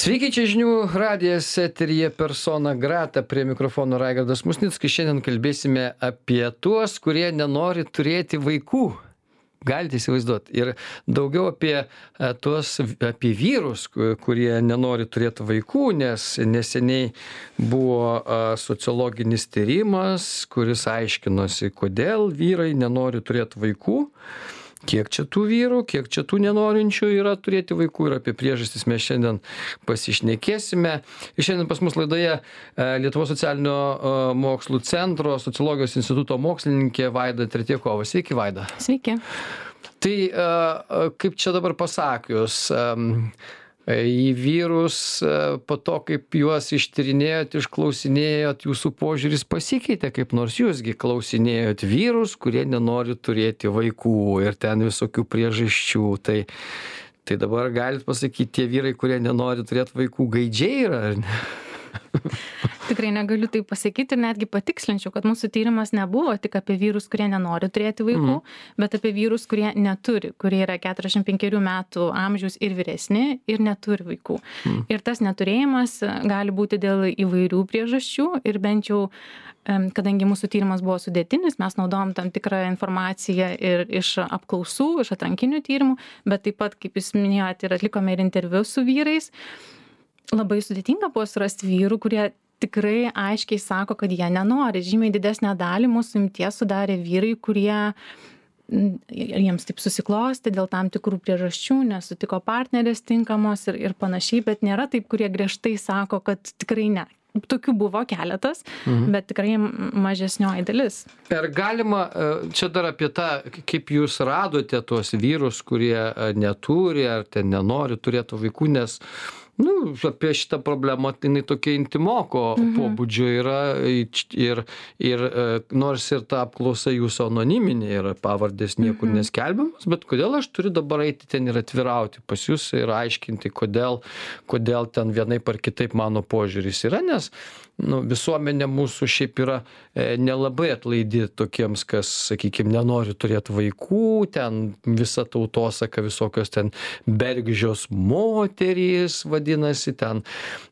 Sveiki, čia žinių radijas eteryje persona grata, prie mikrofono Raigardas Musnickas. Šiandien kalbėsime apie tuos, kurie nenori turėti vaikų. Galite įsivaizduoti. Ir daugiau apie vyrus, kurie nenori turėti vaikų, nes neseniai buvo sociologinis tyrimas, kuris aiškinosi, kodėl vyrai nenori turėti vaikų. Kiek čia tų vyrų, kiek čia tų nenorinčių yra turėti vaikų ir apie priežastis mes šiandien pasišnekėsime. Ir šiandien pas mus laidoje Lietuvos socialinio mokslų centro sociologijos instituto mokslininkė Vaida Tretjakova. Sveiki, Vaida. Sveiki. Tai kaip čia dabar pasakius, į vyrus po to, kaip juos ištyrinėjot, išklausinėjot, jūsų požiūris pasikeitė, kaip nors jūsgi klausinėjot vyrus, kurie nenori turėti vaikų ir ten visokių priežasčių. Tai dabar galit pasakyti, tie vyrai, kurie nenori turėti vaikų, gaidžiai yra, ar ne? Tikrai negaliu tai pasakyti ir netgi patikslinčiau, kad mūsų tyrimas nebuvo tik apie vyrus, kurie nenori turėti vaikų, bet apie vyrus, kurie neturi, kurie yra 45 metų amžiaus ir vyresni ir neturi vaikų. Ir tas neturėjimas gali būti dėl įvairių priežasčių ir bent jau, kadangi mūsų tyrimas buvo sudėtinis, mes naudojom tam tikrą informaciją ir iš apklausų, iš atrankinių tyrimų, bet taip pat, kaip jūs minėjote, ir atlikome ir interviu su vyrais. Labai sudėtinga buvo surasti vyrų, kurie tikrai aiškiai sako, kad jie nenori. Žymiai didesnę dalį mūsų imties sudarė vyrai, kurie jiems taip susiklosti dėl tam tikrų priežasčių, nesutiko partnerės tinkamos ir panašiai, bet nėra taip, kurie griežtai sako, kad tikrai ne. Tokių buvo keletas, bet tikrai mažesnioji dalis. Ar galima, čia dar apie tą, kaip jūs radote tuos vyrus, kurie neturi ar ten nenori turėti vaikų, nes apie šitą problemą, tai jinai tokia intimoko pobūdžio yra ir nors ir ta apklausa jūsų anoniminė yra, pavardės niekur neskelbiamas, bet kodėl aš turiu dabar eiti ten ir atvirauti pas jūs ir aiškinti, kodėl ten vienaip ar kitaip mano požiūris yra, nes visuomenė mūsų šiaip yra nelabai atlaidi tokiems, kas, sakykime, nenori turėti vaikų, ten visa tautosaka, visokios ten bergždžios moterys, vadinasi, ten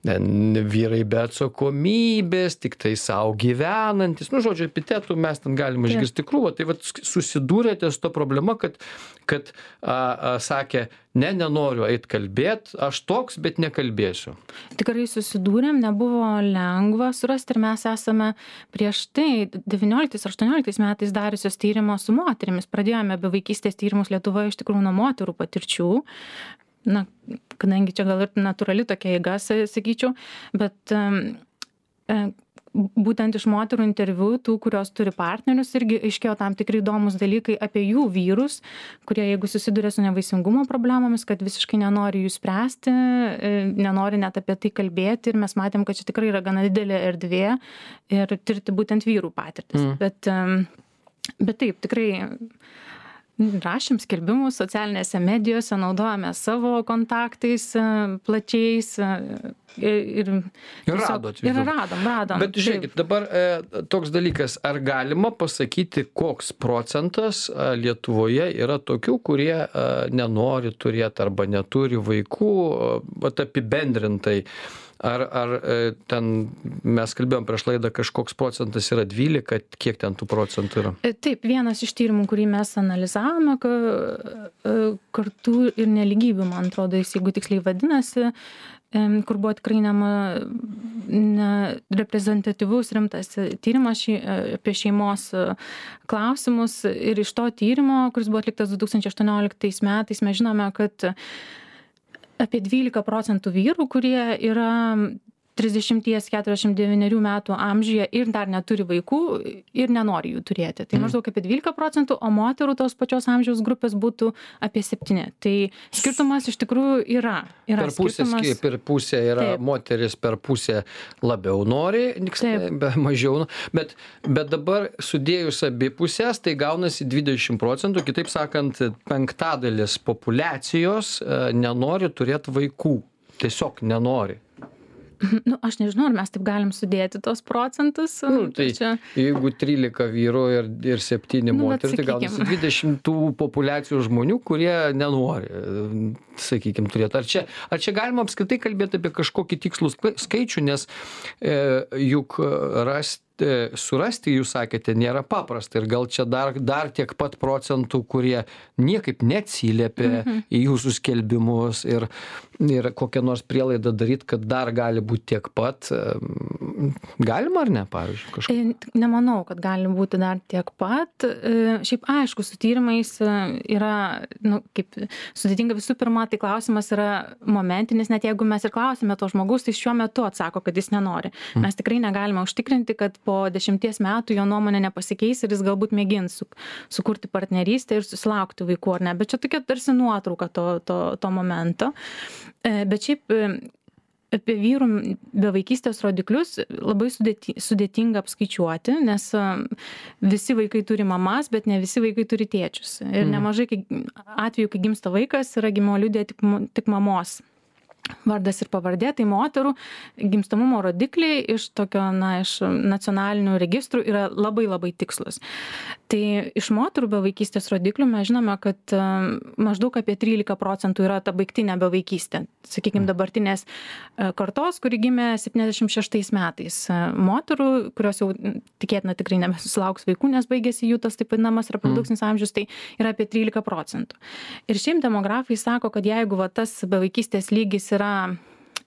vyrai be atsakomybės, tik tai savo gyvenantis, žodžiu, epitetų mes ten galime išgirsti krūvą. Tai susidūrėte su to problema, kad sakė, nenoriu eit kalbėt, aš toks, bet nekalbėsiu. Tikrai susidūrėm, nebuvo lengva surasti ir mes esame prieš tai 19-18 metais dariusios tyrimo su moterimis. Pradėjome bevaikystės tyrimus Lietuvoje iš tikrųjų nuo moterų patirčių. Kadangi čia gal ir natūrali tokia eiga, sakyčiau, bet būtent iš moterų interviu, tų, kurios turi partnerius, irgi aiškėjo tam tikrai įdomus dalykai apie jų vyrus, kurie, jeigu susiduria su nevaisingumo problemomis, kad visiškai nenori jų spręsti, nenori net apie tai kalbėti ir mes matėm, kad čia tikrai yra gana didelė erdvė ir tirti būtent vyrų patirtis. Bet taip, tikrai rašėm skelbimus socialinėse medijose, naudojame savo kontaktais plačiais ir radom. Bet žiūrėkit, dabar toks dalykas, ar galima pasakyti, koks procentas Lietuvoje yra tokių, kurie nenori turėti arba neturi vaikų, apibendrintai? Ar ten mes kalbėjom prieš laidą, kažkoks procentas yra 12, kiek ten tų procentų yra? Taip, vienas iš tyrimų, kurį mes analizavome, kartų ir nelygybių, man atrodo, jeigu tiksliai vadinasi, kur buvo tikrai reprezentatyvus rimtas tyrimas apie šeimos klausimus. Ir iš to tyrimo, kuris buvo atliktas 2018 metais, mes žinome, kad apie 12% vyrų, kurie yra 30-49 metų amžiuje ir dar neturi vaikų ir nenori jų turėti. Tai maždaug apie 12%, o moterų tos pačios amžiaus grupės būtų apie 7%. Tai skirtumas iš tikrųjų yra. Per pusę yra moteris, per pusę labiau nori, mažiau. Bet dabar sudėjus abi pusės, tai gaunasi 20%, kitaip sakant, 1/5 populiacijos nenori turėti vaikų. Tiesiog nenori. Nu, aš nežinau, ar mes taip galim sudėti tos procentus. Tai jeigu 13 vyrų ir 7 moterų, tai gal 20 tų populiacijų žmonių, kurie nenori, sakykime, turėti. Ar čia galima apskritai kalbėti apie kažkokį tikslų skaičių, nes juk surasti, jūs sakėte, nėra paprasta ir gal čia dar tiek pat procentų, kurie niekaip neatsiliepia į jūsų skelbimus ir kokią nors prielaidą daryti, kad dar gali būti tiek pat. Galima ar ne, pavyzdžiui, kažkaip? Nemanau, kad gali būti dar tiek pat. Šiaip aišku, su tyrimais yra, kaip sudėtinga, visų pirma, tai klausimas yra momentinis, net jeigu mes ir klausime to žmogaus, tai šiuo metu atsako, kad jis nenori. Mes tikrai negalime užtikrinti, kad po 10 metų jo nuomonė nepasikeis ir jis galbūt mėgins sukurti partnerystę ir susilaukti vaikų ar ne. Bet čia tokia tarsi nuotrauka to momento. Bet šiaip apie vyrų bevaikystės rodiklius labai sudėtinga apskaičiuoti, nes visi vaikai turi mamas, bet ne visi vaikai turi tėčius. Ir nemažai atvejų, kai gimsta vaikas, yra gimimo liudija tik mamos vardas ir pavardė, tai moterų gimstamumo rodikliai iš iš nacionalinių registrų yra labai labai tikslus. Tai iš moterų bevaikystės rodiklių mes žinome, kad maždaug apie 13% yra ta baigtinė bevaikystė. Sakykime, dabartinės kartos, kuri gimė 76 metais. Moterų, kurios jau tikėtina tikrai nebesusilauks vaikų, nes baigėsi jų tas taip vadinamas reprodukcinis amžius, tai yra apie 13%. Ir šiaip demografai sako, kad jeigu tas bevaikystės lygis yra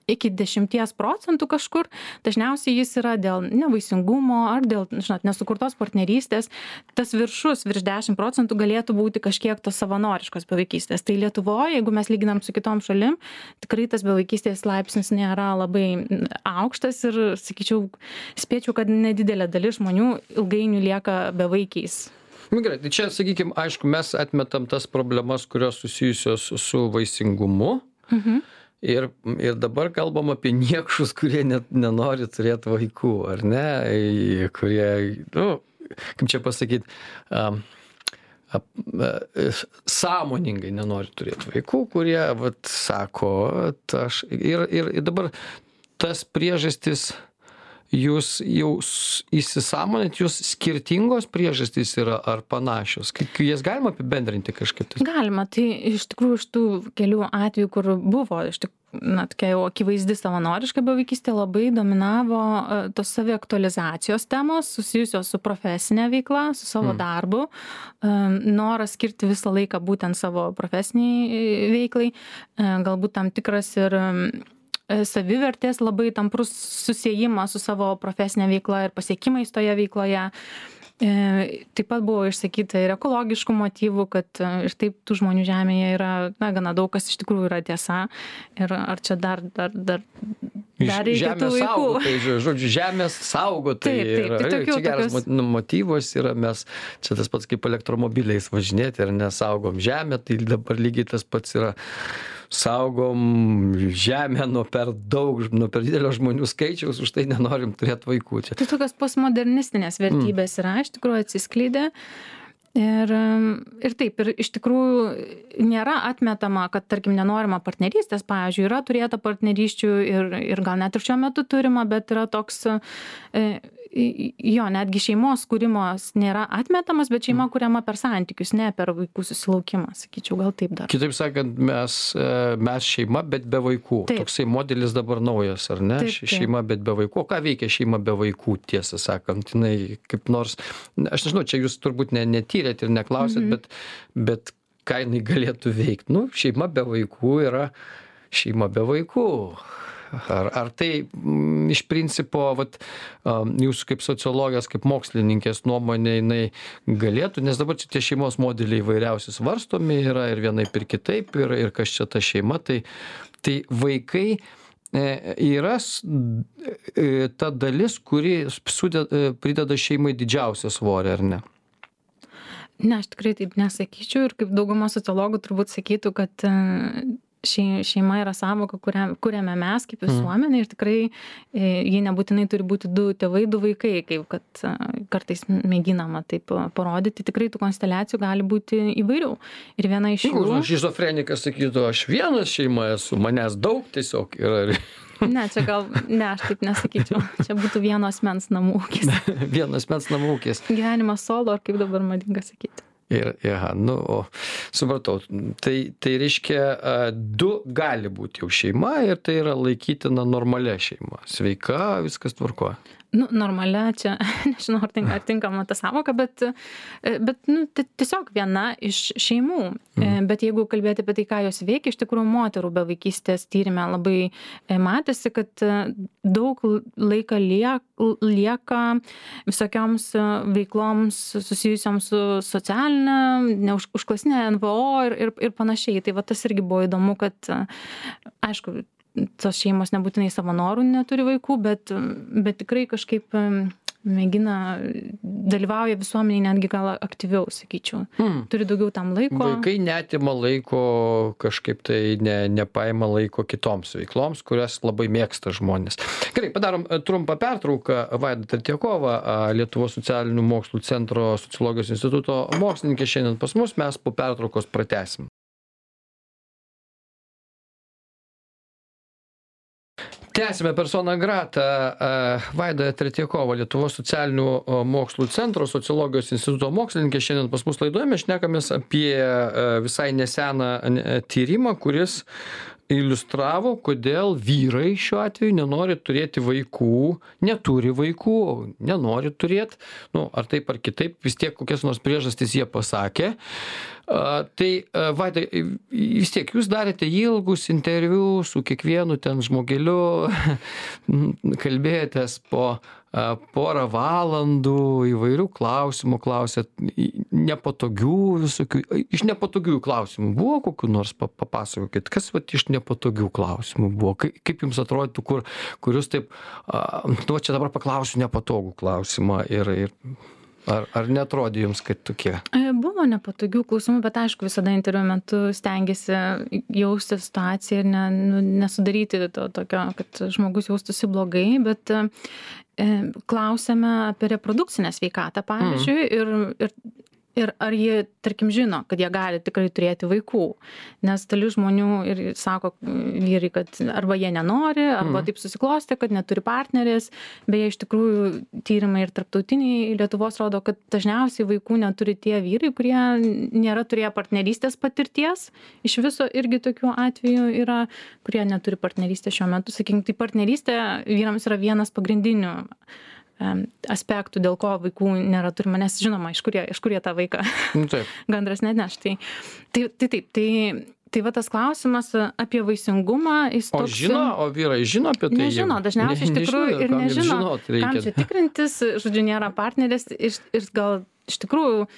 iki 10% kažkur, dažniausiai jis yra dėl nevaisingumo ar dėl, nesukurtos partnerystės. Tas virš 10% galėtų būti kažkiek tos savanoriškos bevaikystės. Tai Lietuvoje, jeigu mes lyginam su kitom šalim, tikrai tas bevaikystės laipsnis nėra labai aukštas ir, sakyčiau, spėčiau, kad nedidelė dalis žmonių ilgainiui lieka bevaikiais. Gerai, tai čia, sakykime, aišku, mes atmetam tas problemas, kurios susijusios su vaisingumu. Ir dabar kalbam apie niekšus, kurie net nenori turėti vaikų, ar ne? Kurie, kaip čia pasakyti, sąmoningai nenori turėti vaikų, kurie, sako, ir dabar tas priežastis, jūs jau įsisąmonėt, jūs skirtingos priežastys yra ar panašios? Jas galima apibendrinti kažkaip? Galima, tai iš tikrųjų iš tų kelių atvejų, kur buvo tokia jau akivaizdi savanoriška bevaikystė, labai dominavo tos saviaktualizacijos temos susijusios su profesinė veikla, su savo darbu, noras skirti visą laiką būtent savo profesiniai veiklai, galbūt tam tikras ir savivertės labai tamprus susiejimas su savo profesinė veikla ir pasiekimais toje veikloje. Taip pat buvo išsakyta ir ekologiškų motyvų, kad ir taip tų žmonių žemėje yra gana daug, kas iš tikrųjų yra tiesa. Ir ar čia dar reikia tų vaikų? Žodžiu, žemės saugotai. Čia geras motyvas yra, mes čia tas pats kaip elektromobiliais važinėti ir nesaugom žemę, tai dabar lygiai tas pats yra. Saugom žemę nuo per didelio žmonių skaičiaus, už tai nenorim turėti vaikų. Čia. Tai tokios postmodernistinės vertybės yra, iš tikrųjų atsiskleidė. Ir taip, ir iš tikrųjų nėra atmetama, kad, tarkim, nenorima partnerystės, pavyzdžiui, yra turėta partnerysčių ir gal net ir šiuo metu turima, bet yra toks, netgi šeimos kūrimas nėra atmetamas, bet šeima kuriama per santykius, ne per vaikų susilaukimą, sakyčiau, gal taip dar. Kitaip sakant, mes šeima, bet be vaikų. Taip. Toksai modelis dabar naujas, ar ne? Taip. Šeima, bet be vaikų. O ką veikia šeima be vaikų, tiesą sakant? Jinai kaip nors, aš nežinau, čia jūs turbūt netyrėt ir neklausėt, bet ką jinai galėtų veikti? Šeima be vaikų yra šeima be vaikų. Ar tai iš principo, jūsų kaip sociologijos, kaip mokslininkės nuomonė, jinai galėtų, nes dabar čia tie šeimos modeliai įvairiausi svarstomi yra ir vienaip ir kitaip, ir kas čia ta šeima, tai vaikai yra ta dalis, kuri prideda šeimai didžiausią svorį, ar ne? Ne, aš tikrai taip nesakyčiau ir kaip dauguma sociologų turbūt sakytų, kad šeima yra sąvoka, kuriame mes kaip visuomenė ir tikrai jie nebūtinai turi būti 2 tėvai, 2 vaikai, kaip kad kartais mėginama taip parodyti. Tikrai tų konsteliacijų gali būti įvairių. Ir viena iš jų... Šizofrenikas sakytų, aš vienas šeima esu, manęs daug tiesiog yra. Ne, čia gal, ne, aš taip nesakyčiau. Čia būtų vieno asmens namų ūkis. Vieno asmens namų ūkis. Gyvenimas solo, ar kaip dabar madinga sakyti. Supratau. Tai reiškia, 2 gali būti jau šeima ir tai yra laikytina normalia šeima. Sveika, viskas tvarkoja. Normalia čia, nežinau, ar tinkama ta sąvoka, bet tiesiog viena iš šeimų. Bet jeigu kalbėti apie tai, ką jos veikia, iš tikrųjų moterų be vaikystės tyrime labai matėsi, kad daug laiko lieka visokioms veikloms susijusioms su socialinė, užklasinė NVO ir panašiai. Tai va tas irgi buvo įdomu, kad aišku, tos šeimos nebūtinai savo norų neturi vaikų, bet tikrai kažkaip mėgina, dalyvauja visuomeniai netgi gal aktyviau, sakyčiau. Turi daugiau tam laiko. Vaikai neatima laiko, kažkaip tai nepaima laiko kitoms veikloms, kurias labai mėgsta žmonės. Gerai, padarom trumpą pertrauką. Vaida Tretjakova, Lietuvos socialinių mokslų centro sociologijos instituto mokslininkė šiandien pas mus, mes po pertraukos pratęsim. Tęsime persona grata. Vaida Tretjakova, Lietuvos socialinių mokslų centro sociologijos instituto mokslininkė. Šiandien pas mus laidoje mes šnekamės apie visai neseną tyrimą, kuris iliustravo, kodėl vyrai šiuo atveju nenori turėti vaikų, neturi vaikų, nenori turėti, ar taip ar kitaip, vis tiek kokias nors priežastis jie pasakė. Tai, Vaida, vis tiek jūs darėte ilgus interviu su kiekvienu ten žmogeliu, kalbėjotės po porą valandų, įvairių klausimų klausėt, nepatogių visokių. Iš nepatogių klausimų buvo kokių nors, papasakokit, kas iš nepatogių klausimų buvo? Kaip jums atrodytų, kur jūs taip, čia dabar paklausiu nepatogų klausimą ir ar netrodė jums, kad tokie? Buvo nepatogių klausimų, bet aišku, visada interviu metu stengiasi jausti situaciją ir nesudaryti to tokio, kad žmogus jaustųsi blogai, bet klausėme apie reprodukcinę sveikatą, pavyzdžiui, ir ar jie, tarkim, žino, kad jie gali tikrai turėti vaikų. Nes dalis žmonių ir sako vyrai, kad arba jie nenori, arba taip susiklostė, kad neturi partnerės. Beje, iš tikrųjų, tyrimai ir tarptautiniai Lietuvos rodo, kad dažniausiai vaikų neturi tie vyrai, kurie nėra turėję partnerystės patirties. Iš viso irgi tokių atvejų yra, kurie neturi partnerystės šiuo metu. Sakykime, tai partnerystė vyrams yra vienas pagrindinių aspektų, dėl ko vaikų nėra turima, nes žinoma, iš kur jie tą vaiką gandras netneš. Tai va tas klausimas apie vaisingumą, jis toks... O vyrai žino apie tai? Nežino, dažniausiai iš tikrųjų ir nežino, kam čia tikrintis, žodžiu, nėra partnerės ir gal iš tikrųjų...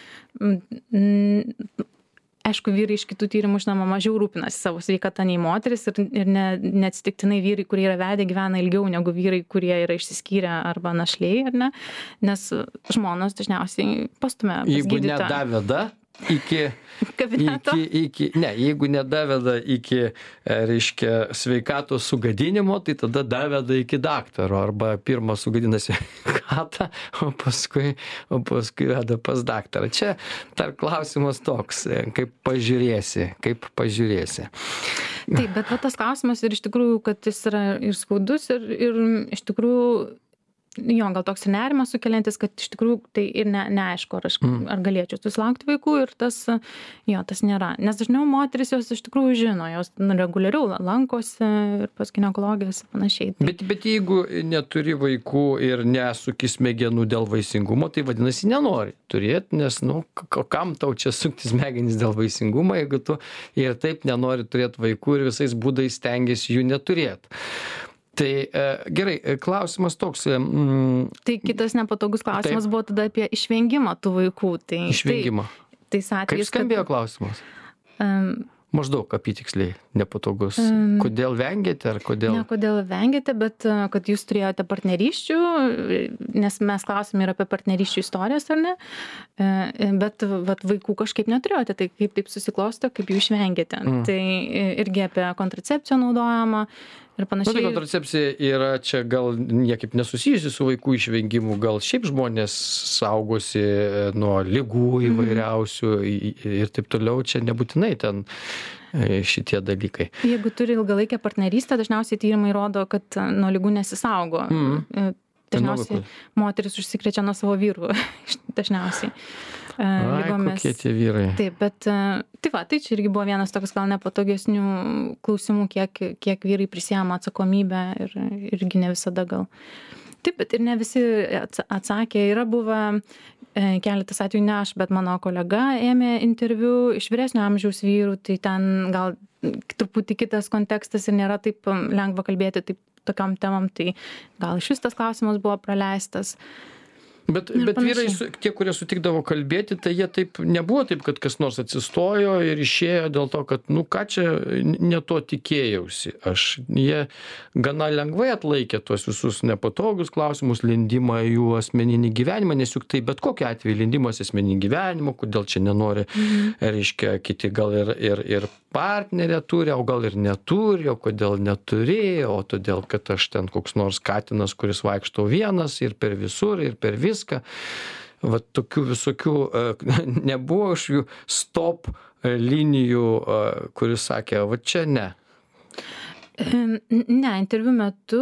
Aišku, vyrai iš kitų tyrimų, žinoma, mažiau rūpinasi savo sveikatą nei moteris ir neatsitiktinai vyrai, kurie yra vedę, gyvena ilgiau negu vyrai, kurie yra išsiskyrę arba našliai, ar ne? Nes žmonos dažniausiai pastumia pas gydytoją. Jeigu nedaveda iki kabineto. Jeigu nedaveda iki, reiškia, sveikatos sugadinimo, tai tada daveda iki daktaro, arba pirmą sugadina sveikatą, o paskui veda pas daktarą. Čia dar klausimas toks, kaip pažiūrėsi. Taip, bet va tas klausimas ir iš tikrųjų, kad jis yra ir skaudus ir iš tikrųjų gal toks ir nerimas sukeliantis, kad iš tikrųjų tai ir neaišku, ar galėčiau susilaukti vaikų ir tas nėra. Nes dažniau moteris jos iš tikrųjų žino, jos reguliariau lankosi ir pas ginekologijas ir panašiai. Bet jeigu neturi vaikų ir nesuki smegenų dėl vaisingumo, tai vadinasi nenori turėti, nes, kam tau čia sukti smegenys dėl vaisingumo, jeigu tu ir taip nenori turėti vaikų ir visais būdais stengiasi jų neturėti. Tai gerai, klausimas toks. Tai kitas nepatogus klausimas buvo tada apie išvengimą tų vaikų. Išvengimą. Kaip skambėjo klausimas? Maždaug apytiksliai nepatogus. Kodėl vengėte ar kodėl? Ne kodėl vengėte, bet kad jūs turėjote partnerysčių, nes mes klausime ir apie partnerysčių istorijas, ar ne, bet vaikų kažkaip neturėjote, tai kaip taip susiklosto, kaip jų išvengėte. Tai irgi apie kontracepciją naudojama ir panašiai. Tai kontracepcija yra čia gal niekaip nesusijusi su vaikų išvengimu, gal šiaip žmonės saugosi nuo ligų įvairiausių ir taip toliau, čia nebūtinai ten šitie dalykai. Jeigu turi ilgalaikę partnerystę, dažniausiai tyrimai rodo, kad nuo ligų nesisaugo. Dažniausiai moteris užsikrečia nuo savo vyrų, dažniausiai. Lygomis. Kokie tie vyrai. Taip, bet tai čia irgi buvo vienas toks gal nepatogesnių klausimų, kiek vyrai prisiema atsakomybę ir irgi ne visada gal. Taip, bet ir ne visi atsakė. Yra buvę keletas atvejų, ne aš, bet mano kolega ėmė interviu iš vyresnio amžiaus vyrų, tai ten gal truputį kitas kontekstas ir nėra taip lengva kalbėti taip tokiom temom, tai gal iš vis tas klausimas buvo praleistas. Bet vyrai, tie, kurie sutikdavo kalbėti, tai jie taip nebuvo taip, kad kas nors atsistojo ir išėjo dėl to, kad, ką čia ne to tikėjausi. Jie gana lengvai atlaikė tuos visus nepatogius klausimus, lindimą į jų asmeninį gyvenimą, nes juk tai bet kokiu atveju lindimas į asmeninį gyvenimą, kodėl čia nenori, reiškia, kiti gal ir partnerę turi, o gal ir neturi, o kodėl neturi, o todėl, kad aš ten koks nors katinas, kuris vaikšto vienas ir per visur, ir per viską. Va tokių visokių nebuvo iš jų stop linijų, kuris sakė, va čia ne. Ne, interviu metu,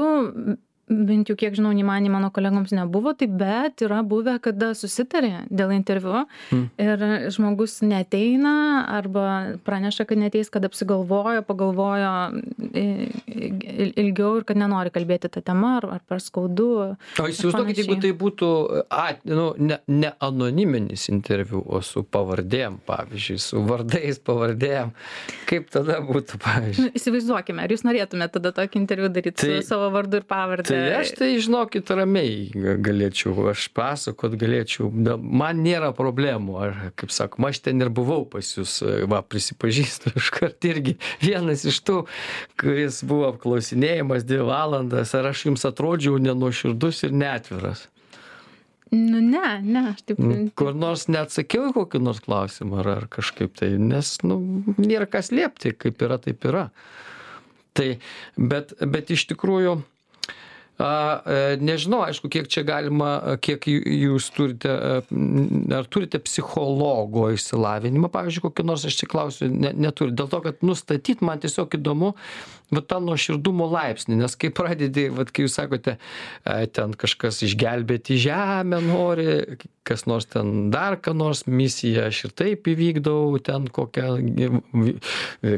bent jau kiek žinau, nei man, nei mano kolegoms nebuvo, tai bet yra buvę, kada susitarė dėl interviu ir žmogus neateina arba praneša, kad neateis, kad pagalvojo ilgiau ir kad nenori kalbėti tą temą ar per skaudu. O įsivaizduokit, jeigu tai būtų ne anoniminis interviu, o su pavardėm, pavyzdžiui, su vardais pavardėm, kaip tada būtų, pavyzdžiui? Įsivaizduokime, ar jūs norėtumėte tada tokį interviu daryti su savo vardu ir pavardę? Tai aš tai, žinokit, ramiai galėčiau, aš pasakot galėčiau, man nėra problemų, kaip sakoma, aš ten ir buvau pas jūs, prisipažįstu iškart irgi vienas iš tų, kuris buvo apklausinėjimas 2 valandas, ar aš jums atrodžiau nenuoširdus ir neatviras? Ne, aš taip. Kur nors neatsakiau į kokį nors klausimą ar kažkaip tai, nes, nėra kas slėpti, kaip yra, taip yra. Tai, bet iš tikrųjų, nežinau, aišku, kiek čia galima, kiek jūs turite, ar turite psichologo išsilavinimą, pavyzdžiui, kokį nors, aš čia klausiu, neturi. Dėl to, kad nustatyti man tiesiog įdomu, tą nuoširdumo laipsnį, nes kai pradedi, kai jūs sakote, ten kažkas išgelbėti žemę nori, kas nors ten dar ką nors misiją, aš ir taip įvykdau, ten kokią,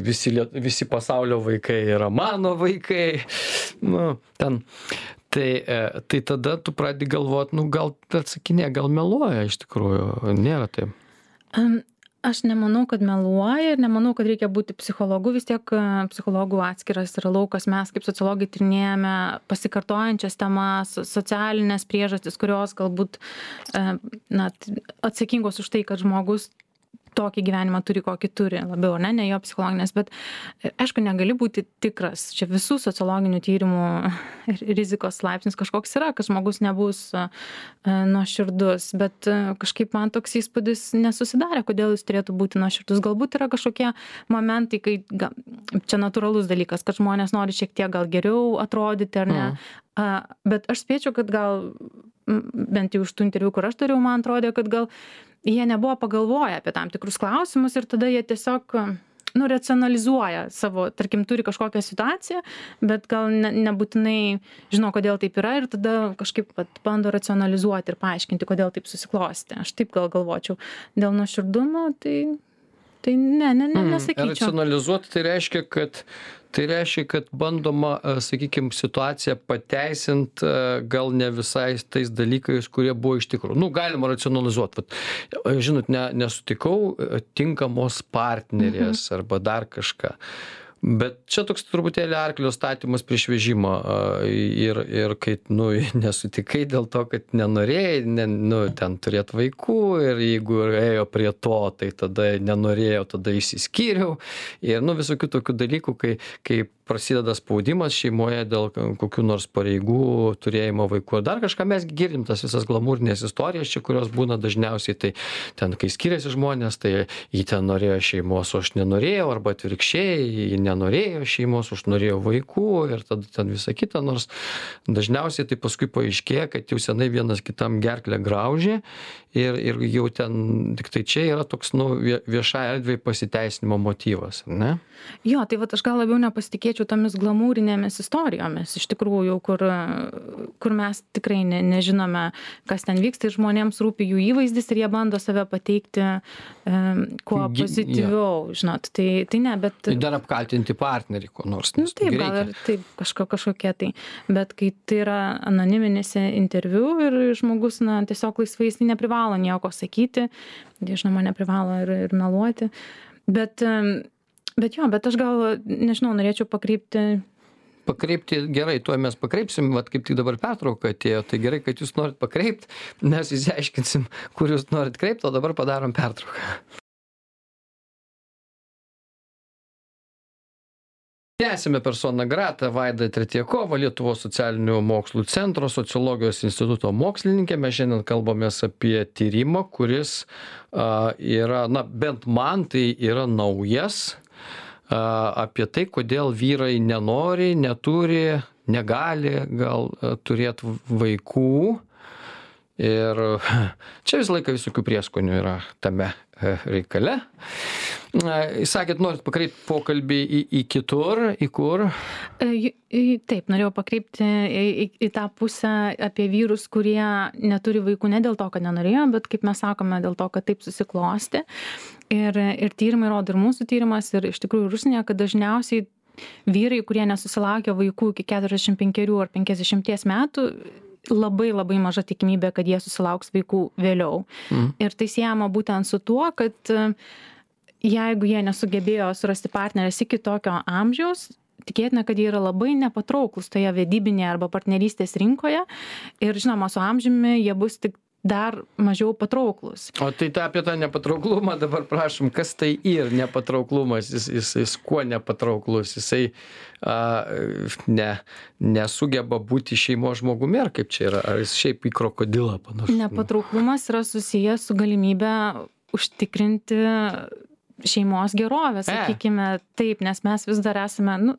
visi pasaulio vaikai yra mano vaikai, ten. Tai tada tu pradedi galvoti, gal atsakinė, gal meluoja iš tikrųjų, nėra taip. Aš nemanau, kad meluoja ir nemanau, kad reikia būti psichologu, vis tiek psichologų atskiras yra laukas, mes kaip sociologai tyrinėjame pasikartojančias temas, socialinės priežastis, kurios galbūt atsakingos už tai, kad žmogus tokį gyvenimą turi, kokį turi, labiau, ne jo psichologinės, bet aišku, negali būti tikras. Čia visų sociologinių tyrimų rizikos laipsnis kažkoks yra, kad žmogus nebus nuoširdus, bet kažkaip man toks įspūdis nesusidarė, kodėl jis turėtų būti nuoširdus. Galbūt yra kažkokie momentai, kai čia natūralus dalykas, kad žmonės nori šiek tiek gal geriau atrodyti, ar ne. Bet aš spėčiau, kad gal, bent jau iš tų interviu, kur aš dariau, man atrodė, kad gal jie nebuvo pagalvoję apie tam tikrus klausimus ir tada jie tiesiog racionalizuoja savo, tarkim, turi kažkokią situaciją, bet gal nebūtinai žino, kodėl taip yra ir tada kažkaip bando racionalizuoti ir paaiškinti, kodėl taip susiklosti. Aš taip gal galvočiau. Dėl nuoširdumo, tai nesakyčiau. Racionalizuoti tai reiškia, kad bandoma, sakykime, situaciją pateisinti gal ne visai tais dalykais, kurie buvo iš tikrųjų. Galima racionalizuoti. Žinot, nesutikau tinkamos partnerės arba dar kažką. Bet čia toks truputėlį arklio statymas prieš vežimą ir kai nesutikai dėl to, kad nenorėjai, ten turėt vaikų ir jeigu ėjo prie to, tai tada nenorėjau, tada išsiskyriau ir visokių tokių dalykų, kai prasideda spaudimas šeimoje dėl kokių nors pareigų, turėjimo vaikų ar dar kažką, mes girdim tas visas glamūrinės istorijas čia, kurios būna dažniausiai, tai ten, kai skiriasi žmonės, tai jį ten norėjo šeimos, o aš nenorėjau, arba atvirkščiai, jį nenorėjo šeimos, aš norėjau vaikų ir tada ten visa kita, nors dažniausiai tai paskui paaiškėja, kad jau senai vienas kitam gerklę graužė ir jau ten, tik tai čia yra toks, viešai erdvėj pasiteisinimo motyvas, ne? Jo, tai aš gal labiau nepasitikėčiau tomis glamūrinėmis istorijomis, iš tikrųjų, kur mes tikrai nežinome, kas ten vyksta ir žmonėms rūpi jų įvaizdis ir jie bando save pateikti kuo pozityviau, žinot, tai ne, bet... Tai dar apkaltinti partnerį, ko nors. Taip, gal ir taip, kažkokie tai, bet kai tai yra anoniminis interviu ir žmogus, tiesiog laisvai jis neprivalo nieko sakyti, žinoma, neprivalo ir meluoti, bet aš gal, nežinau, norėčiau pakreipti gerai, tuo mes pakreipsim, kaip tik dabar pertrauka atėjo, tai gerai, kad jūs norit pakreipti, mes įsiaiškinsim, kur jūs norit kreipti, o dabar padarom pertrauką. Tęsime persona grata Vaida Tretjakova, Lietuvos socialinių mokslų centro sociologijos instituto mokslininkė. Mes šiandien kalbamės apie tyrimą, kuris yra, bent man tai yra naujas, apie tai, kodėl vyrai nenori, neturi, negali gal turėti vaikų. Ir čia visą laiką visokių prieskonių yra tame reikale. Sakėt, norit pakreipti pokalbį į kitur, į kur? Taip, norėjau pakreipti į tą pusę apie vyrus, kurie neturi vaikų ne dėl to, kad nenorėjo, bet kaip mes sakome, dėl to, kad taip susiklosti. Ir tyrimai rodo, ir mūsų tyrimas, ir iš tikrųjų Rusnėje, kad dažniausiai vyrai, kurie nesusilaukia vaikų iki 45 ar 50 metų, labai maža tikimybė, kad jie susilauks vaikų vėliau. Ir tai siejama būtent su tuo, kad jeigu jie nesugebėjo surasti partnerės iki tokio amžiaus, tikėtina, kad jie yra labai nepatrauklus toje vedybinėje arba partnerystės rinkoje ir žinoma, su amžiumi jie bus tik dar mažiau patrauklus. O tai apie tą nepatrauklumą dabar prašom, kas tai ir nepatrauklumas, jis kuo nepatrauklus, jisai nesugeba būti šeimos žmogumi, ar kaip čia yra, ar jis šiaip į krokodilą panašus? Nepatrauklumas yra susijęs su galimybė užtikrinti šeimos gerovę, sakykime taip, nes mes vis dar esame,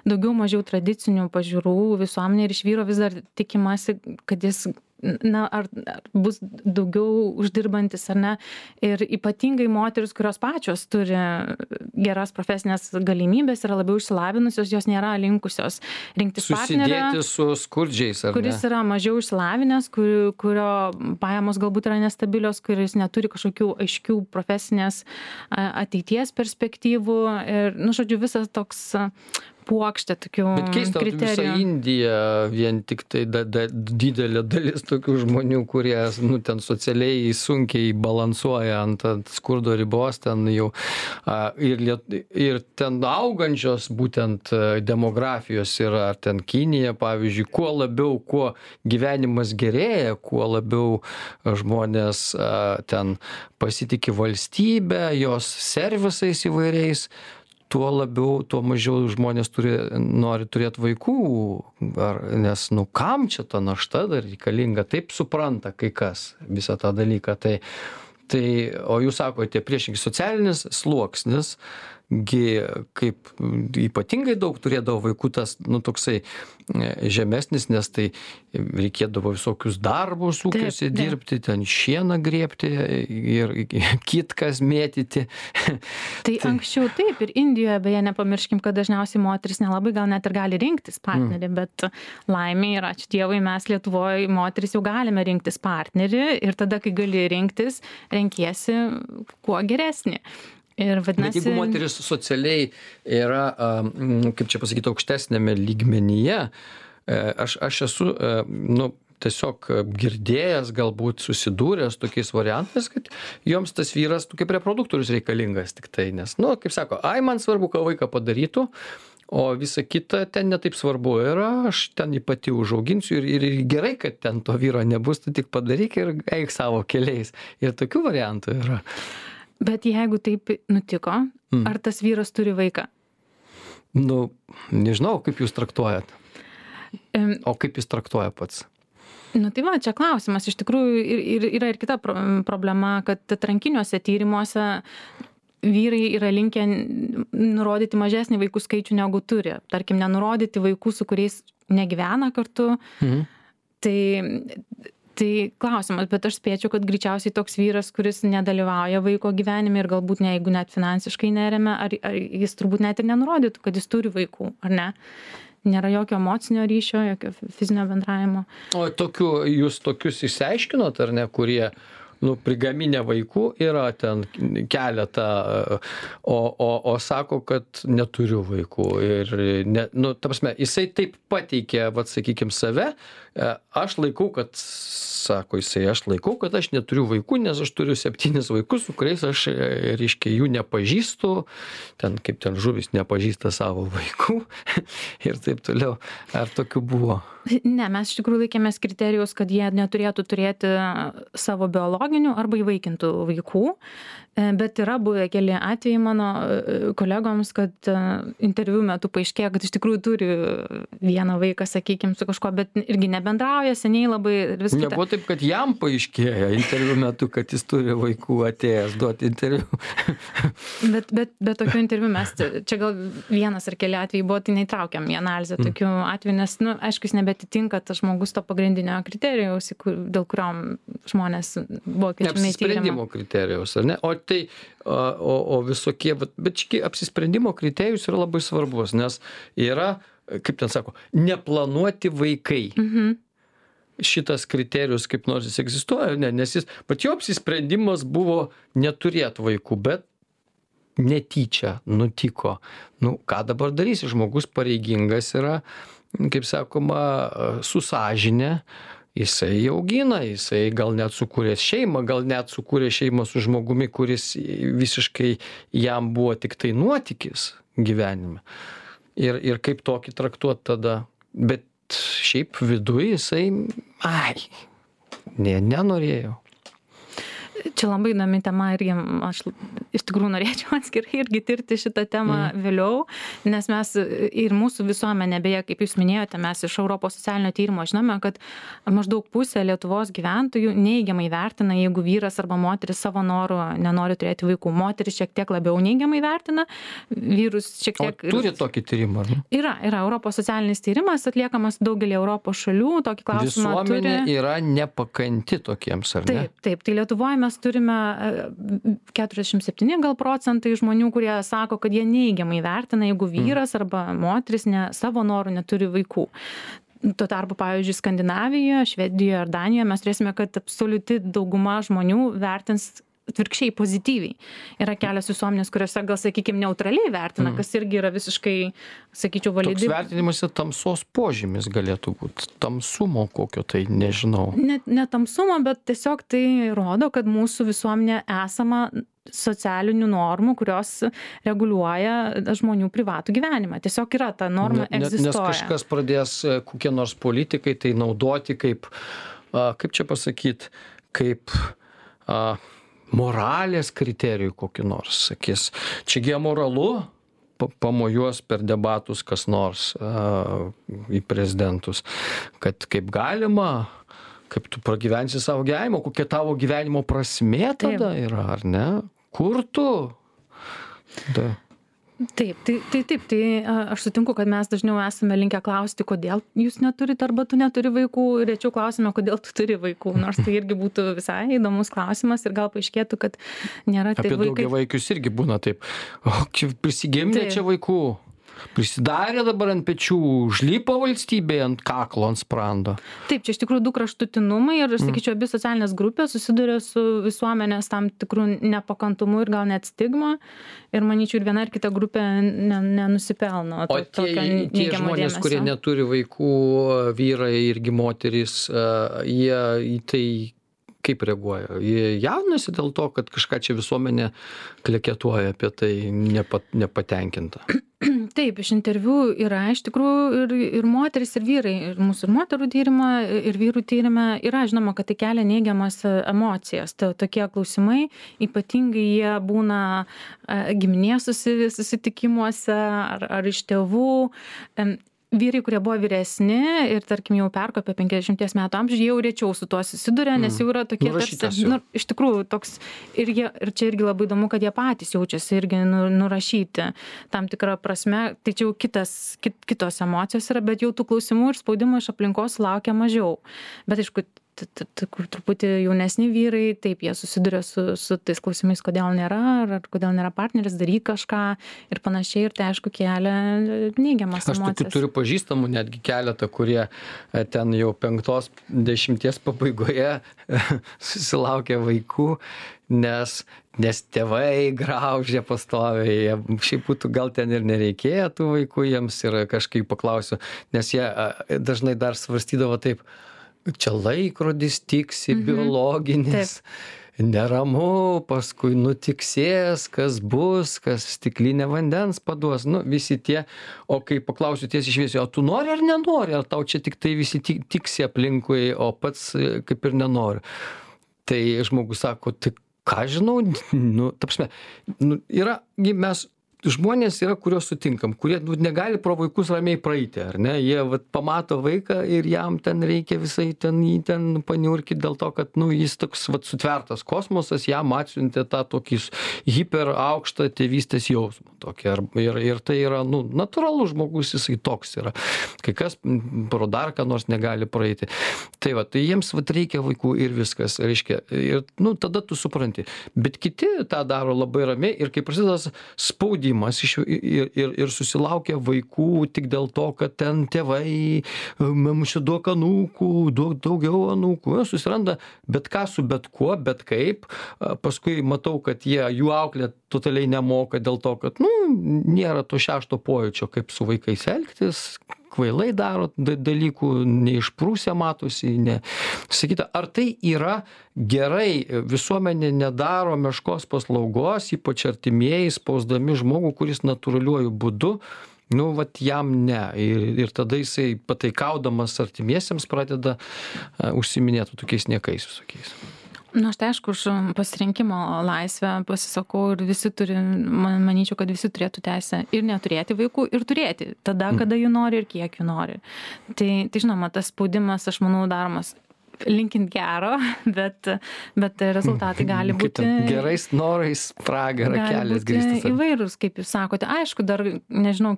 daugiau mažiau tradicinių pažiūrų visuomenė ir iš vyro vis dar tikimasi, kad jis ar bus daugiau uždirbantis ar ne. Ir ypatingai moteris, kurios pačios turi geras profesinės galimybės, yra labiau išsilavinusios, jos nėra linkusios rinktis partnerę. Susidėti su skurdžiais, ar ne? Kuris yra mažiau išsilavinęs, kurio pajamos galbūt yra nestabilios, kuris neturi kažkokių aiškių profesinės ateities perspektyvų. Ir, žodžiu, visas toks puokštė tokių kriterijų. Bet keista, visa Indija, vien tik tai didelė dalis tokių žmonių, kurie ten socialiai sunkiai balansuoja ant skurdo ribos, ten jau ir ten augančios būtent demografijos yra, ar ten Kinija, pavyzdžiui, kuo gyvenimas gerėja, kuo labiau žmonės ten pasitiki valstybę, jos servisais įvairiais, tuo mažiau žmonės nori turėti vaikų, nes kam čia ta našta dar reikalinga, taip supranta kai kas visą tą dalyką. O jūs sakote, priešingai socialinis sluoksnis, kaip ypatingai daug turėdavo vaikų, tas toksai žemesnis, nes tai reikėdavo visokius darbus ūkiuose dirbti, ten šieną grėbti ir kitkas mėtyti. Tai anksčiau taip, ir Indijoje, beje, nepamirškim, kad dažniausiai moteris nelabai gal net ir gali rinktis partnerį, bet laimė ir ačiū Dievui, mes Lietuvoje moteris jau galime rinktis partnerį ir tada, kai gali rinktis, renkiesi kuo geresnį. Bet jeigu moteris socialiai yra, kaip čia pasakyti, aukštesnėme lygmenyje, aš esu, tiesiog girdėjęs, galbūt susidūręs tokiais variantais, kad joms tas vyras kaip reproduktorius reikalingas tik tai, nes, kaip sako, man svarbu, ką vaiką padarytų, o visa kita ten netaip svarbu yra, aš ten jį pati užauginsiu ir gerai, kad ten to vyro nebus, tu tik padaryk ir eik savo keliais. Ir tokių variantų yra. Bet jeigu taip nutiko, ar tas vyras turi vaiką? Nežinau, kaip jūs traktuojat. O kaip jis traktuoja pats? Tai va, čia klausimas. Iš tikrųjų yra ir kita problema, kad atrankiniuose tyrimuose vyrai yra linkę nurodyti mažesnį vaikų skaičių negu turi. Tarkim, nenurodyti vaikų, su kuriais negyvena kartu. Tai klausimas, bet aš spėčiau, kad greičiausiai toks vyras, kuris nedalyvauja vaiko gyvenime ir galbūt jeigu net finansiškai neremia, ar jis turbūt net ir nenurodytų, kad jis turi vaikų, ar ne? Nėra jokio emocinio ryšio, jokio fizinio bendravimo. O jūs tokius išsiaiškinot, ar ne, kurie prigaminę vaikų yra ten keletą, o sako, kad neturiu vaikų. Ir, ta prasme, jisai taip pateikė, sakykime, save, aš laikau, kad aš neturiu vaikų, nes aš turiu 7 vaikus, su kuriais aš, reiškia, jų nepažįstu, kaip ten žuvis nepažįsta savo vaikų ir taip toliau. Ar tokių buvo? Ne, mes iš tikrųjų laikėmės kriterijus, kad jie neturėtų turėti savo biologinių arba įvaikintų vaikų, bet yra buvę keli atvejai mano kolegoms, kad interviu metu paaiškėjo, kad iš tikrųjų turi vieną vaiką, sakykime, su kažkuo, bet irgi nebendrauja seniai labai. Nebuvo taip, kad jam paaiškėjo interviu metu, kad jis turi vaikų atėjęs duoti interviu. bet tokių interviu mes, čia gal vienas ar keli atvejai buvo, tai neįtraukiam į analizę tokių atvejų, nes, aišku, jis nebetitinka tas žmogus to pagrindinio kriterijaus, dėl kurio žmonės buvo kviečiami į tyrimą. Apsisprendimo kriterijaus, ar ne? O visokie, bet apsisprendimo kriterijus yra labai svarbus, nes yra, kaip ten sako, neplanuoti vaikai. Šitas kriterijus kaip nors jis egzistuoja, ne, nes bet jo apsisprendimas buvo neturėti vaikų, bet netyčia nutiko. Ką dabar darysi? Žmogus pareigingas yra, kaip sakoma, su sąžine, jisai augina, jisai gal net sukūrė šeimą, gal net sukūrė šeimą su žmogumi, kuris visiškai jam buvo tik tai nuotykis gyvenime. Ir kaip tokį traktuoti tada. Bet šiaip viduje jisai, nenorėjau. Čia labai įdomi tema ir aš iš tikrųjų norėčiau atskirai irgi tirti šitą temą vėliau, nes mes ir mūsų visuomenė, beje, kaip jūs minėjote, mes iš Europos socialinio tyrimo žinome, kad maždaug pusė Lietuvos gyventojų neigiamai vertina, jeigu vyras arba moteris savo norų nenori turėti vaikų. Moteris šiek tiek labiau neigiamai vertina, vyrus šiek tiek... O turi tokį tyrimą, ar ne? Yra Europos socialinis tyrimas atliekamas daugelį Europos šalių, tokį klausimą turi. Visuomenė yra nepakanti tokiems, ar ne? Taip, tai Lietuvoje mes turime 47 gal procentai žmonių, kurie sako, kad jie neigiamai vertina, jeigu vyras arba moteris savo norų neturi vaikų. Tuo tarpu, pavyzdžiui, Skandinavijoje, Švedijoje ar Danijoje mes turėsime, kad absoliuti dauguma žmonių vertins atvirkščiai pozityviai. Yra kelios visuomenės, kuriuose gal, sakykime, neutraliai vertina, kas irgi yra visiškai, sakyčiau, validi. Toks vertinimas tamsos požymis galėtų būti. Tamsumo kokio tai, nežinau. Ne tamsumo, bet tiesiog tai rodo, kad mūsų visuomenė esama socialinių normų, kurios reguliuoja žmonių privatų gyvenimą. Tiesiog yra ta norma egzistuoja. Nes kažkas pradės kokie nors politikai tai naudoti kaip čia pasakyti, kaip moralės kriterijų kokį nors, sakys, čiagi amoralu, pamojuos per debatus kas nors į prezidentus, kad kaip galima, kaip tu pragyvensi savo gyvenimą, kokia tavo gyvenimo prasmė tada yra, ar ne? Kur tu? Taip, aš sutinku, kad mes dažniau esame linkę klausti, kodėl jūs neturite arba tu neturi vaikų, rečiau klausime, kodėl tu turi vaikų, nors tai irgi būtų visai įdomus klausimas ir gal paaiškėtų, kad nėra taip vaikai. Apie daugiavaikius irgi būna taip, prisigimdė čia vaikų. Prisidarė dabar ant pečių, užlipo valstybėje ant kaklo, ant sprando. Taip, čia iš tikrųjų 2 kraštutinumai ir aš sakyčiau, abi socialinės grupės susiduria su visuomenės tam tikrų nepakantumu ir gal net stigma. Ir manyčiau, ir viena ir kita grupė nenusipelno O tie žmonės, kurie neturi vaikų, vyrai irgi moterys, jie į tai kaip reaguoja? Jie jaunasi dėl to, kad kažką čia visuomenė kleketuoja apie tai nepatenkinta. Taip, iš interviu yra iš tikrųjų ir moteris, ir vyrai, ir mūsų ir moterų tyrimą, ir vyrų tyrimą yra žinoma, kad tai kelia neigiamas emocijas. Tokie klausimai, ypatingai jie būna giminės susitikimuose ar iš tėvų. Vyrai, kurie buvo vyresni ir, tarkim, jau perkopė 50 metų amžių, jau rečiau su tuo susiduria, nes jau yra tokie tarsi, iš tikrųjų, toks, ir čia irgi labai įdomu, kad jie patys jaučiasi irgi nurašyti tam tikrą prasme, tai čia jau kitos emocijos yra, bet jau tų klausimų ir spaudimo iš aplinkos laukia mažiau. Bet aišku, truputį jaunesni vyrai, taip, jie susiduria su tais klausimais, kodėl nėra, ar kodėl nėra partneris, daryk kažką ir panašiai, ir tai aišku kelia neigiamas emocijas. Aš turiu pažįstamų netgi keletą, kurie ten jau 50 pabaigoje susilaukė vaikų, nes tėvai graužė pastoviai, šiaip būtų gal ten ir nereikėjo tų vaikų jiems ir kažkaip paklausiu, nes jie dažnai dar svarstydavo taip, čia laikrodis tiksi, biologinis, neramu, paskui nutiksės, kas bus, kas stiklinę vandens paduos, visi tie, o kai paklausiu tiesiai šviesiai, o tu nori ar nenori, ar tau čia tik tai visi tiksi aplinkui, o pats kaip ir nenori. Tai žmogus sako, tai ką žinau, ta prasme, žmonės yra, kuriuos sutinkam, kurie negali pro vaikus ramiai praeiti, ar ne? Jie pamato vaiką ir jam ten reikia visai jį ten paniurkyti dėl to, kad jis toks sutvertas kosmosas, jam atsiuntė tą tokį hiper aukštą tėvystės jausmą. Ir tai yra, natūralus žmogus, jisai toks yra. Kai kas pro dar ką nors negali praeiti. Tai jiems reikia vaikų ir viskas, reiškia. Ir tada tu supranti. Bet kiti tą daro labai ramiai ir kai prasideda spaudimas ir susilaukia vaikų tik dėl to, kad ten tėvai, mums čia duok anūkų, duok daugiau anūkų, susiranda bet ką su bet kuo, bet kaip, paskui matau, kad jų auklė totaliai nemoka dėl to, kad, nėra to 6 pojūčio, kaip su vaikais elgtis, kvailai daro dalykų, neišprūsę matosi, sakyta, ar tai yra gerai, visuomenė nedaro meškos paslaugos, ypač artimieji spausdami žmogų, kuris natūraliuoju būdu, jam ne. Ir tada jisai pataikaudamas artimiesiems pradeda užsiminėti tokiais niekais visokiais. Aš tai aišku, už pasirinkimo laisvę pasisakau ir visi manyčiau, kad visi turėtų teisę ir neturėti vaikų, ir turėti tada, kada jų nori ir kiek jų nori. Tai žinoma, tas spaudimas, aš manau, daromas linkint gero, bet rezultatai gali būti... Gerais norais pragarą kelias grįstas. Įvairūs, kaip jūs sakote. Aišku, dar nežinau,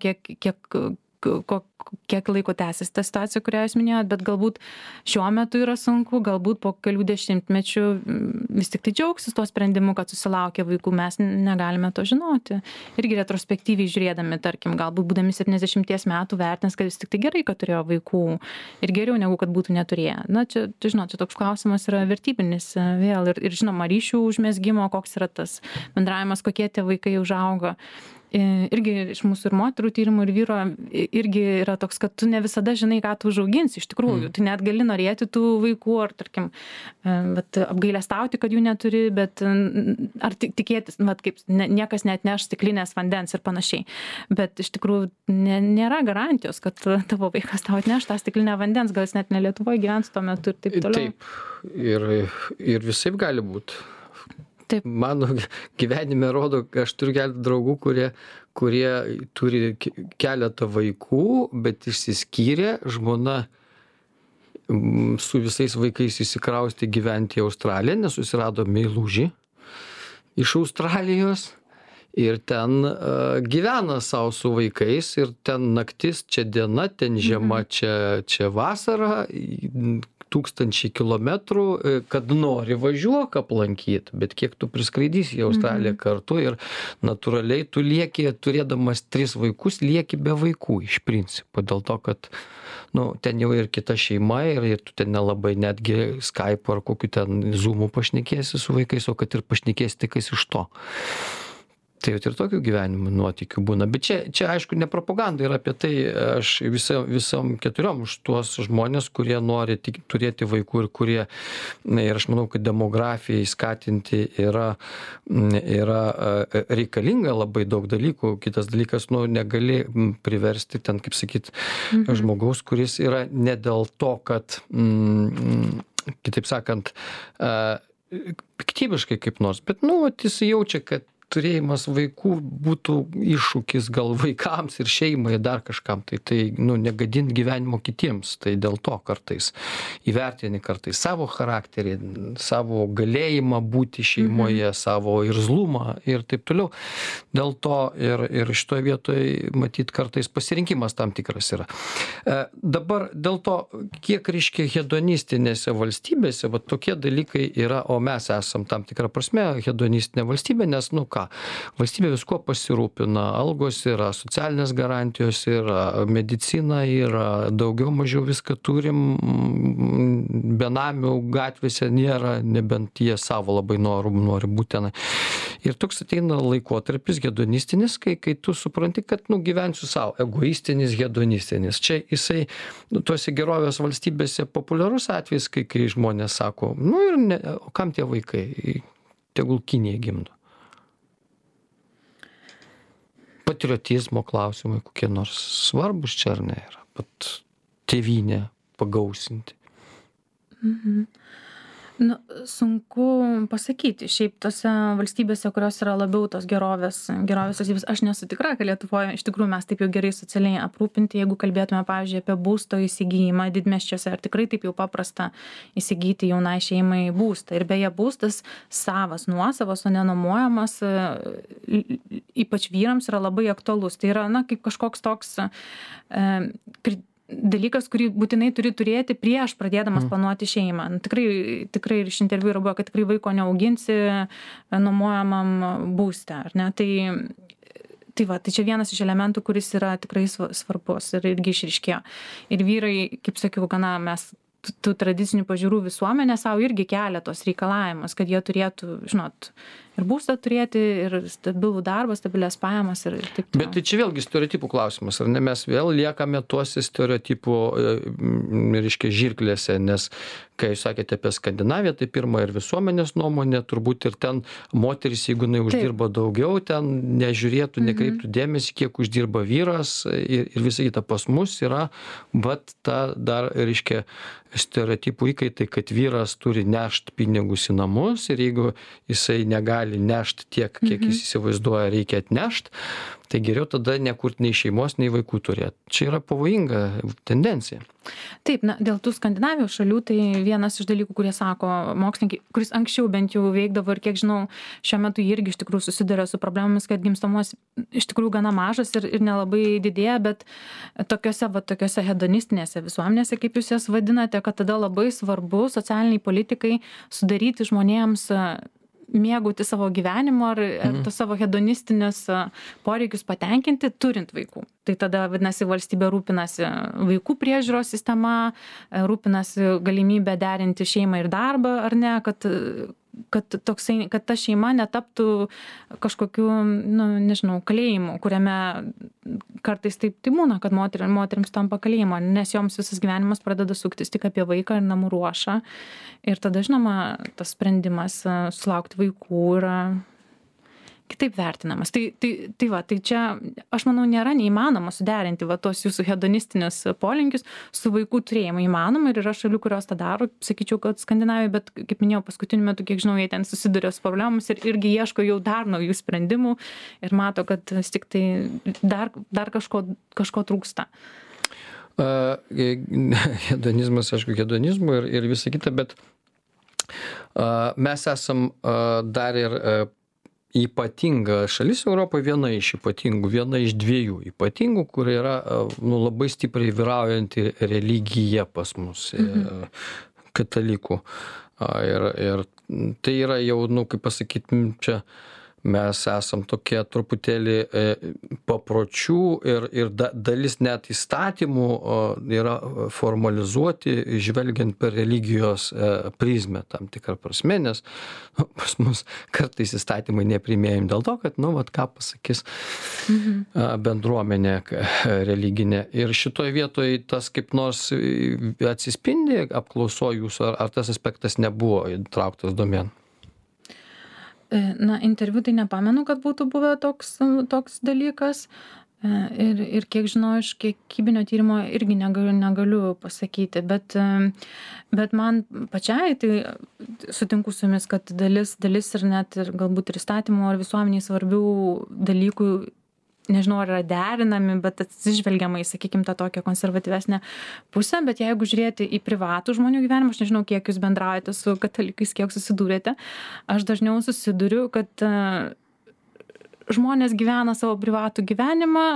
kiek laiko tęsis ta situacija, kurią jūs minėjot, bet galbūt šiuo metu yra sunku, galbūt po kelių dešimtmečių vis tik tai džiaugsis tuo sprendimu, kad susilaukė vaikų, mes negalime to žinoti. Irgi retrospektyviai žiūrėdami, tarkim, galbūt būdami 70 metų vertins, kad vis tik tai gerai, kad turėjo vaikų ir geriau negu kad būtų neturėję. Čia toks klausimas yra vertybinis vėl ir žinoma, ryšių užmezgimo, koks yra tas bendravimas, kokie tie vaikai užaugo. Irgi iš mūsų ir moterų tyrimų ir vyro irgi yra toks, kad tu ne visada žinai, ką tu užauginsi iš tikrųjų. Tu net gali norėti tų vaikų ar, tarkim, apgailestauti, kad jų neturi, bet ar tikėtis, kaip niekas net neš stiklinės vandens ir panašiai. Bet iš tikrųjų nėra garantijos, kad tavo vaikas tau atneš tą stiklinę vandens, gal jis net ne Lietuvoje gyvens tuo metu ir taip toliau. Taip, ir visaip gali būti. Taip. Mano gyvenime rodo, aš turiu keletą draugų, kurie turi keletą vaikų, bet išsiskyrė, žmona su visais vaikais įsikraustė gyventi į Australiją, nes susirado meilužį iš Australijos ir ten gyvena savo su vaikais ir ten naktis, čia diena, ten žiema, čia vasara. tūkstančiai kilometrų, kad nori važiuok aplankyt, bet kiek tu priskraidysi į Australiją kartu ir natūraliai tu lieki, turėdamas 3 vaikus, lieki be vaikų iš principo, dėl to, kad ten jau ir kita šeima ir tu ten nelabai netgi Skype ar kokiu ten Zoom'u pašnekėsi su vaikais, o kad ir pašnekėsi tik iš to. Tai jau ir tokių gyvenimų nuotykių būna. Bet čia aišku, ne propaganda yra apie tai, aš visom 4 už tuos žmonės, kurie nori turėti vaikų ir kurie, ir aš manau, kad demografijai skatinti yra reikalinga labai daug dalykų. Kitas dalykas, negali priversti ten, kaip sakyt, žmogaus, kuris yra ne dėl to, kad, kitaip sakant, piktybiškai kaip nors, bet, jis jaučia, kad turėjimas vaikų būtų iššūkis gal vaikams ir šeimai, dar kažkam, tai negadint gyvenimo kitiems, tai dėl to kartais įvertini kartais savo charakterį, savo galėjimą būti šeimoje, savo irzlumą ir taip toliau. Dėl to ir šitoje vietoje, matyt, kartais pasirinkimas tam tikras yra. Dabar dėl to, kiek reiškia hedonistinėse valstybėse, tokie dalykai yra, o mes esam tam tikrą prasme hedonistinė valstybė, nes, valstybė visko pasirūpina, algos yra, socialinės garantijos yra, medicina yra, daugiau mažiau viską turim, benamių gatvėse nėra, nebent jie savo labai nori būti tenai. Ir toks ateina laikotarpis hedonistinis, kai tu supranti, kad gyvensiu savo, egoistinis, hedonistinis. Čia jisai, tuose gerovės valstybėse populiarus atvejis, kai žmonės sako, o kam tie vaikai, tegul Kinija gimdo. Patriotizmo klausimai kokie nors svarbus čia ar ne yra, pat tėvynę pagausinti. Sunku pasakyti. Šiaip tose valstybėse, kurios yra labiau tos gerovės valstybės, aš nesu tikra, kad Lietuvoje iš tikrųjų mes taip jau gerai socialiai aprūpinti, jeigu kalbėtume, pavyzdžiui, apie būsto įsigijimą didmiesčiuose, ar tikrai taip jau paprasta įsigyti jaunai šeimai būstą. Ir beje, būstas savas, nuosavas, o nenuomojamas, ypač vyrams yra labai aktualus. Tai yra, kaip kažkoks toks dalykas, kurį būtinai turi turėti prieš pradėdamas planuoti šeimą. Tikrai ir iš interviu yra buvo, kad tikrai vaiko neauginsi nuomojamam būste, ar ne? Tai čia vienas iš elementų, kuris yra tikrai svarbus ir irgi išryškėjo. Ir vyrai, kaip sakiau, mes tų tradicinių pažiūrų visuomenė savo irgi kelia tos reikalavimus, kad jie turėtų, ir būstą turėti, ir stabilų darbą, stabilias pajamas ir taip toliau. Bet tai čia vėlgi stereotipų klausimas, ar ne? Mes vėl liekame tuose stereotipų, reiškia, žirklėse, nes kai jūs sakėte apie Skandinaviją, tai pirma ir visuomenės nuomonė, turbūt ir ten moteris, jeigu jinai uždirba daugiau, ten nežiūrėtų, nekreiptų dėmesį, kiek uždirba vyras ir visą kitą. Pas mus yra, bet ta dar, reiškia, stereotipų įkaitai, kad vyras turi nešt pinigus į namus ir jeigu jisai negali nešt tiek, kiek jis įsivaizduoja, reikia atnešt, tai geriau tada nekurt nei šeimos, nei vaikų turėti. Čia yra pavojinga tendencija. Taip, dėl tų Skandinavijos šalių, tai vienas iš dalykų, kurie sako mokslininkai, kuris anksčiau bent jau veikdavo ir kiek žinau, šiuo metu irgi iš tikrųjų susiduria su problemomis, kad gimstamumas iš tikrųjų gana mažas ir nelabai didėja, bet tokiose hedonistinėse visuomenėse, kaip jūs jas vadinate, kad tada labai svarbu socialiniai politikai sudaryti žmonėms mėgauti savo gyvenimo ar to savo hedonistinius poreikius patenkinti, turint vaikų. Tai tada, vadinasi, valstybė rūpinasi vaikų priežiūros sistema, rūpinasi galimybę derinti šeimą ir darbą, ar ne, kad ta šeima netaptų kažkokiu, nežinau, kalėjimu, kuriame kartais taip būna, kad moterims tampa kalėjimo, nes joms visas gyvenimas pradeda suktis tik apie vaiką ir namų ruošą. Ir tada, žinoma, tas sprendimas sulaukti vaikų yra kitaip vertinamas. Tai čia, aš manau, nėra neįmanoma suderinti tos jūsų hedonistinius polinkius su vaikų turėjimu. Įmanoma ir yra šalių, kurios tą daro, sakyčiau, kad Skandinavijoje, bet, kaip minėjau, paskutiniu metu, kiek žinau, jie ten susiduria su problemomis ir irgi ieško jau dar naujų sprendimų ir mato, kad vis tik tai dar kažko trūksta. Hedonizmas, aišku, hedonizmu ir visa kita, bet mes esam dar ir ypatinga šalis Europoje, viena iš dviejų ypatingų, kur yra labai stipriai vyraujanti religija pas mus. katalikų. Ir tai yra jau, kaip pasakyt, čia mes esam tokie truputėlį papročių ir dalis net įstatymų yra formalizuoti, žvelgiant per religijos prizmę tam tikrą prasme, nes pas mus kartais įstatymai nepriimėjami dėl to, kad, ką pasakys bendruomenė religinė. Ir šitoje vietoje tas kaip nors atsispindi apklausoje jūsų, ar tas aspektas nebuvo įtrauktas domėn? Interviu tai nepamenu, kad būtų buvę toks dalykas. Ir kiek žinau, iš kiekybinio tyrimo irgi negaliu pasakyti, bet man pačiai, tai sutinku su jumis, kad dalis ir net ir galbūt ir įstatymų ar visuomeniai svarbių dalykų, nežinau, ar yra derinami, bet atsižvelgiama į, sakykime, tą tokią konservatyvesnę pusę, bet jeigu žiūrėti į privatų žmonių gyvenimą, aš nežinau, kiek jūs bendraujate su katalikais, kiek susidūrėte, aš dažniau susiduriu, kad žmonės gyvena savo privatų gyvenimą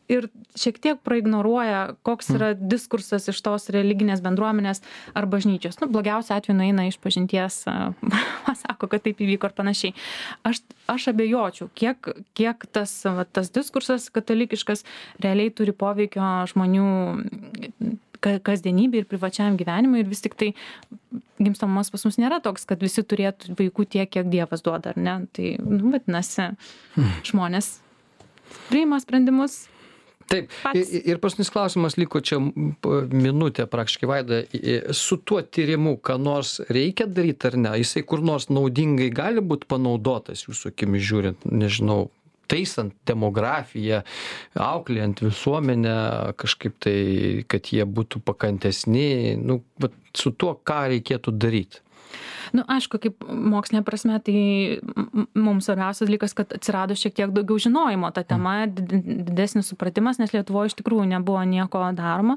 ir šiek tiek praignoruoja, koks yra diskursas iš tos religinės bendruomenės ar bažnyčios. Blogiausia atveju nueina iš pažinties, sako, kad taip įvyko ir panašiai. Aš abejočiau, kiek tas diskursas katalikiškas realiai turi poveikio žmonių kasdienybė ir privačiam gyvenimui, ir vis tik tai gimstamumas pas mus nėra toks, kad visi turėtų vaikų tiek, kiek Dievas duoda, ar ne? Tai, vadinasi, žmonės priima sprendimus. Taip, ir paskutinis klausimas liko čia minutė praktiškai, Vaida, su tuo tyrimu, ką nors reikia daryti ar ne? Jisai kur nors naudingai gali būti panaudotas jūsų akimis žiūrint, nežinau, taisant demografiją, auklėjant visuomenę, kažkaip tai, kad jie būtų pakantesni, su tuo, ką reikėtų daryti? Aišku, kaip mokslinė prasme, tai mums svarbiausias dalykas, kad atsirado šiek tiek daugiau žinojimo tą temą, didesnis supratimas, nes Lietuvoje iš tikrųjų nebuvo nieko daroma,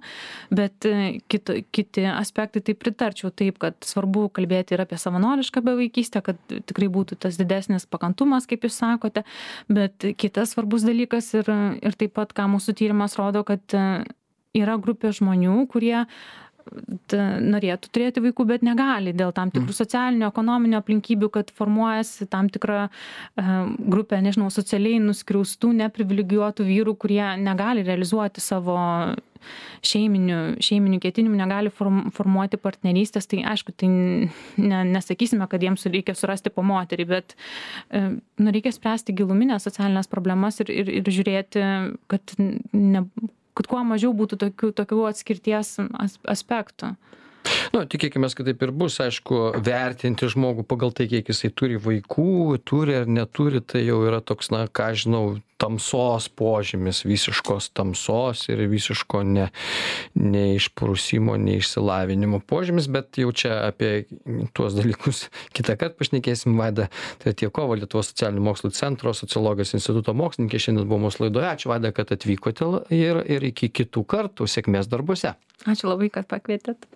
bet kiti aspektai tai pritarčiau taip, kad svarbu kalbėti ir apie savanorišką bevaikystę, kad tikrai būtų tas didesnis pakantumas, kaip jūs sakote, bet kitas svarbus dalykas ir taip pat, ką mūsų tyrimas rodo, kad yra grupė žmonių, kurie norėtų turėti vaikų, bet negali dėl tam tikrų socialinių, ekonominių aplinkybių, kad formuojasi tam tikra grupė, nežinau, socialiai nuskriaustų, neprivilegijuotų vyrų, kurie negali realizuoti savo šeiminių ketinimų, negali formuoti partnerystės. Tai aišku, tai nesakysime, kad jiems reikia surasti po moterį, bet reikia spręsti giluminės socialinės problemas ir žiūrėti, kad kuo mažiau būtų tokių atskirties aspektų. Tikėkime, kad taip ir bus, aišku, vertinti žmogų pagal tai, kiek jisai turi vaikų, turi ar neturi, tai jau yra toks, ką žinau, tamsos požymis, visiškos tamsos ir visiško neišprusimo, neišsilavinimo požymis, bet jau čia apie tuos dalykus kitą kartą pašnekėsim. Vaida Tretjakova, Lietuvos socialinių mokslų centro sociologijos instituto mokslininkė, šiandien buvo mūsų laidoje. Ačiū, Vaida, kad atvykote ir iki kitų kartų. Sėkmės darbuose. Ačiū labai, kad pakvietėt.